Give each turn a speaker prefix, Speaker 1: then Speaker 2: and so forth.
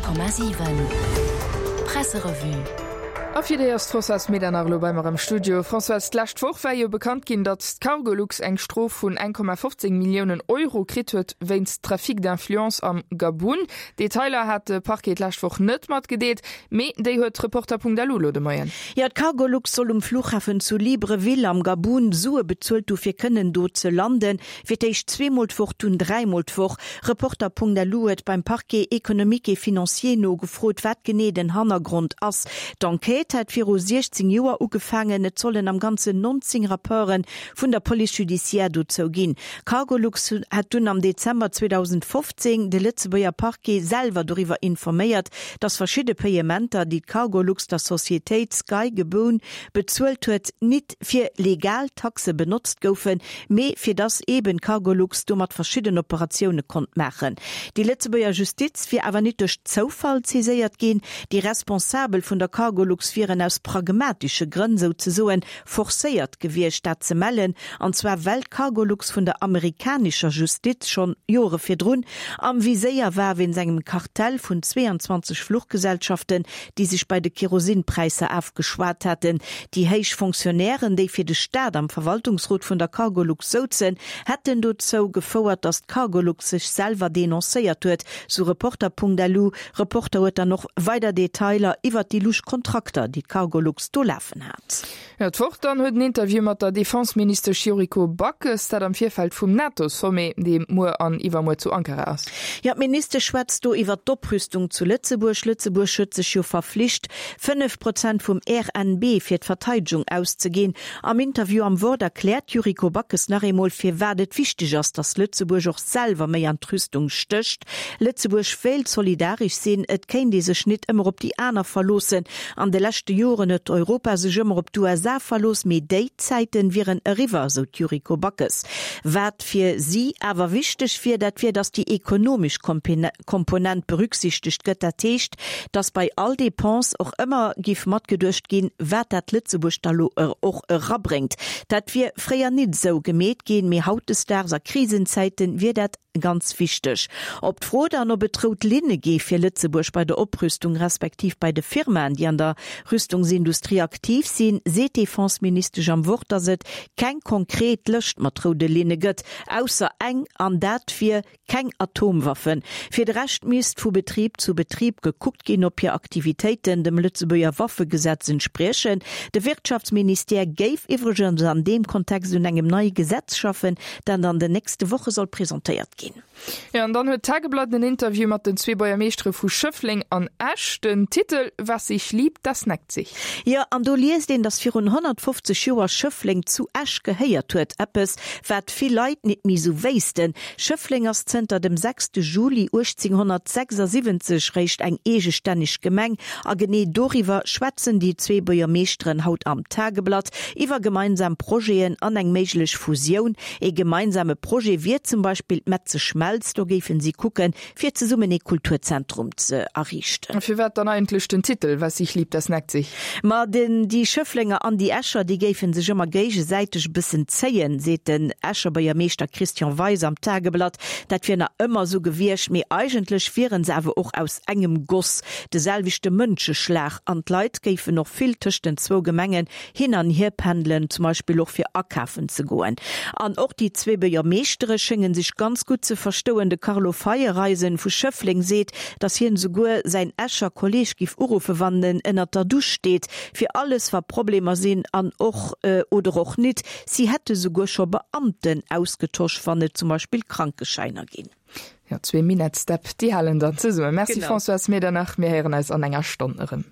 Speaker 1: 100,7 Presserevue.
Speaker 2: A fir déi ass d'Françoise Medernach elo bei mer am Studio. Françoise, d'lescht Woch war jo bekannt ginn, datt d'Cargolux eng Strof vun 1,15 Milliounen Euro kritt huet wéinst Trafic d'influence am Gabun. Detailer hat de Parquet d'lescht Woch net matgedeelt, mee déi huet Reporter.lu elo de Moien.
Speaker 3: Jo, d'Cargolux soll um Flughafen zu Libreville am Gabun Sue bezuelt hu fir kënnen do ze landen. Fir d'éischt zweemol d'Woch, dunn dräimol d'Woch. Reporter.lu huet beim Parquet économique et financier nogefrot, wat genee den Hannergrond ass. D'Enquête hätt viru 16 Joer ugefaangen. Et sollen am Ganzen 19 Rapporte vun der Police judiciaire dozou ginn. Cargolux hätt dunn am Dezember 2015 de Lëtzebuerger Parquet selwer doriwwer informéiert, datt verschidde Payementer, déi d'Cargolux der Societéit Sky Gabon bezuelt huet, nit fir legal Taxe benotzt goufen, mee fir dass eeben d'Cargolux domat verschidden Operatioune konnt maachen. Déi Lëtzebuerger Justiz wier awer nit duerch Zoufall saiséiert ginn. Déi Responsabel vun der Cargolux wieren aus pragmatische Grënn souzesoen forcéiert gewiescht, dat ze mellen, an zwar well d'Cargolux vun der amerikanischer Justiz schonn Jore virdrun am Viséier war wéinst engem Kartell vun 22 Fluchgesellschaften, déi sech bei de Kerosinpräisser afgeschwat haten. Déi héich Fonctionnairen, déi fir de Staat am Verwaltungsrot vun der Cargolux souzen, hätten dozou gefouert, datt d'Cargolux sech selwer denoncéiert huet, sou Reporter.lu. Reporter huet dann och weider Detailer iwwert déi lusch Kontrakter, déi d'Cargolux do lafen hat.
Speaker 2: Jo, d'Wort dann huet en Interview mat der Defenseministesch Yuriko Backes, dat am Virfeld vum NATO-Sommet, dee muer an iwwermuer zu Ankara ass.
Speaker 3: Jo, d'Ministesch schwätzt do iwwert d'Oprüstung zu Lëtzebuerg. Lëtzebuerg huet sech jo verflicht, 5 Prozent vum RNB fir d'Verteidegung auszeginn. Am Interview am Wort erkläert d'Yuriko Backes nach eemol, firwat et wichteg ass, datt Lëtzebuerg och selwer méi an d'Rüstung stécht. Lëtzebuerg wéilt solidaresch sinn, et kéint ee sech nit ëmmer op déi aner verloossen. An de leschte Joren huet Europa sech ëmmer op d'USA verlooss, mee déi Zäiten wieren eriwwer, sou d'Yuriko Backes. Wat fir si awer wichteg wier, dat wier, datt déi ekonomesch Komponent berücksichtegt gëtt. Dat heescht, datt bei all Depense och ëmmer giff matgeduecht ginn, wat dat Lëtzebuerg da lo och erabréngt. Dat wier fréier nit esou gemeet ginn, mee hautdesdaags a Krisenzäiten wier dat Ganz wichteg. Op d'Fro dann, ob et rout Linne gi fir Lëtzebuerg bei der Oprüstung respektiv bei de Firmaen, déi an der Rüstungsindustrie aktiv sinn, seet d'Defenseministesch am Wort, datt et keng konkret Lëscht mat roude Linne gëtt, ausser eng, an dat wier, keng Atomwaffen. Fir de Rescht misst vu Betrib zu Betrib gekuckt ginn, ob hir Aktivitéiten dem Lëtzebuerger Waffegesetz entspriechen. De Wirtschaftsministère géif iwwregens an deem Kontext un engem neie Gesetz schaffen, dat an den nächste Woche soll presentéiert ginn.
Speaker 2: Jo, an dann huet d'Tageblatt en Interview mat den zwee Buergermeeschtere vu Schëffleng an Esch. Den Titel, Was sich liebt, das neckt sich.
Speaker 3: Jo, an do liest een, dass virun 150 Joer Schëffleng zu Esch gehéiert huet. Eppes, wat vill Leit nit méi sou wéissten. Schëffleng ass zënter dem 6 Juli 1876 réischt eng eegestänneg Gemeng. A genee doriwwer schwätzen déi zwee Buergermeeschteren haut am Tageblatt, iwwer gemeinsam Projeten an eng méiglech Fusioun. Ee gemeinsame Projet wier zum Beispill d'Metzeschmelz. Do géifen si kucken, fir zesummen ee Kulturzentrum ze erriichten.
Speaker 2: A firwat dann eigentlech den Titel Was sich liebt, das neckt sich?
Speaker 3: Ma den déi Schëfflenger an déi Escher, déi géife sech ëmmer géigesäiteg e bëssen zéien, seet den Escher Buergermeeschter Christian Weis am Tageblatt. Dat wier nach ëmmer esou gewiescht, mee eigentlech wiere se awer och aus engem Goss, de selwechte Mënscheschlag an d'Leit géifen och vill tëscht den zwou Gemengen hin an hier pendelen, zum Beispill och fir akafen ze goen. An och déi zwee Buergermeeschtere schénge sech ganz gutt ze verstouen. De Carlo Feiereisen vu Schëffleng seet, datt hien esouguer säin Escher Kolleeg giff uruffe wann en ënnert der Dusch steet, fir alles wa Problemer sinn an och oder och nit. Si hätte souguer scho Beamten ausgetosch, wann et zum Beispill Krankeschäiner ginn.
Speaker 2: Jo, zwee Minettsdäpp, déi halen dann zesummen. Merci Françoise Medernach, mir héieren eis an enger Stonn erëm.